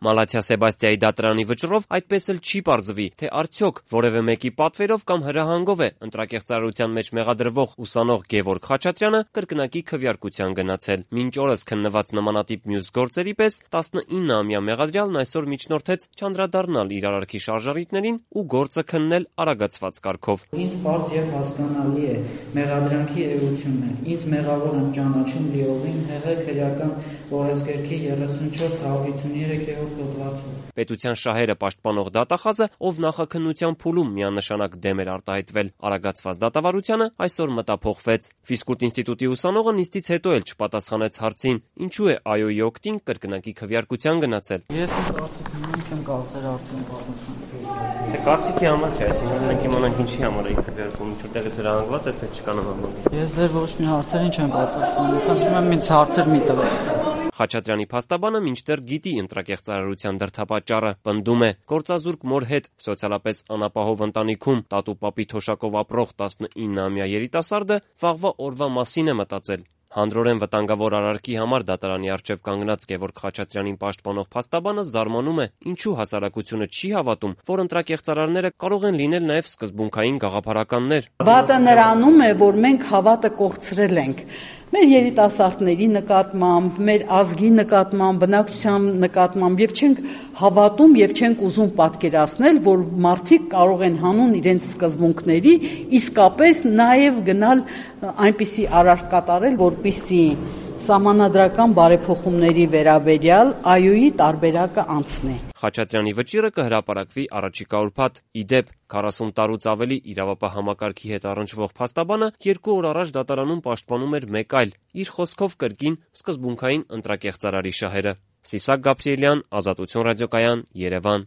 Մալաթիա Սեբաստիայի դատարանի վճռով այդպես էլ չի պարզվի, թե արդյոք որևէ մեկի պատվերով կամ հրահանգով է ընտրակեղծարարության մեջ մեղադրվող ուսանող Գևորգ Խաչատրյանը կրկնակի քվեարկության գնացել։ Մինչ օրս քննված նմանատիպ մյուս գործերի պես 19-ամյա մեղադրյալն այսօր միջնորդեց չանդրադառնալ իր արարքի շարժառիթներին ու գործը քննել արագացված կարգով։ Ինձ պարզ եւ հասկանալի է մեղադրանքի էությունը։ Ինձ մեղավոր եմ ճանաչում լիովին ՀՀ քրեական օրենսգրքի 34-153-րդ հոդվածով։ Պետության շահերը պաշտպանող դատախազը, ով նախաքննության փուլում միանշանակ դեմ էր արտահայտվել արագացված դատավարությանը, այսօր մտափոխվեց։ Ֆիզկուլտ ինստիտուտի ուսանողը նիստից հետո էլ չպատասխանեց հարցին, ինչու է ԱՅՈ-ի օգտին կրկնակի քվեարկության գնացել։ Ես չեմ կարծեր հարցին պատասխանել։ Կարծիքի համար չէ, այսինքն մենք իմանանք ինչի համար է քվեարկում, ինչուտեղից հրահանգված է, թե չկա նման բան։ Ես ձեր ոչ մի հարցերին չեմ պատասխանում, խնդրում եմ ինձ հարցեր մի տվեք։ Խաչատրյանի փաստաբանը մինչդեռ գիտի ընտրակեղծարարության դրդապատճառը, պնդում է, գործազուրկ մոր հետ սոցիալապես անապահով ընտանիքում տատու-պապի թոշակով ապրող 19-ամյա երիտասարդը վաղվա օրվա մասին է մտածել։ Հանդրորեն վտանգավոր արարքի համար դատարանի առջև կանգնած Գևորգ Խաչատրյանին պաշտպանող փաստաբանը զարմանում է, ինչու հասարակությունը չի հավատում, որ ընտրակեղծարարները կարող են լինել նաև սկզբունքային գաղափարականներ։ Վատը նրանում է, որ մենք հավատը կորցրել ենք։ Մեր երիտասարդների նկատմամբ, մեր ազգի նկատմամբ, բնակչության նկատմամբ եւ չենք հավատում եւ չենք ուզում պատկերացնել, որ մարդիկ կարող են հանուն իրենց սկզբունքների իսկապես նաեւ գնալ այնպիսի արարք կատարել, որպիսի սահմանադրական բարեփոխումների վերաբերյալ ԱՅՈ-ի տարբերակը անցնի։ Խաչատրյանի վճիռը կհրապարակվի առաջիկա ուրբաթ։ Ի դեպ, 40 տարուց ավելի իրավապահ համակարգի հետ առնչվող փաստաբանը 2 օր առաջ դատարանում պաշտպանում էր մեկ այլ, իր խոսքով կրկին սկզբունքային ընտրակեղծարարի շահերը։ Սիսակ Գաբրիելյան, Ազատություն ռադիոկայան, Երևան։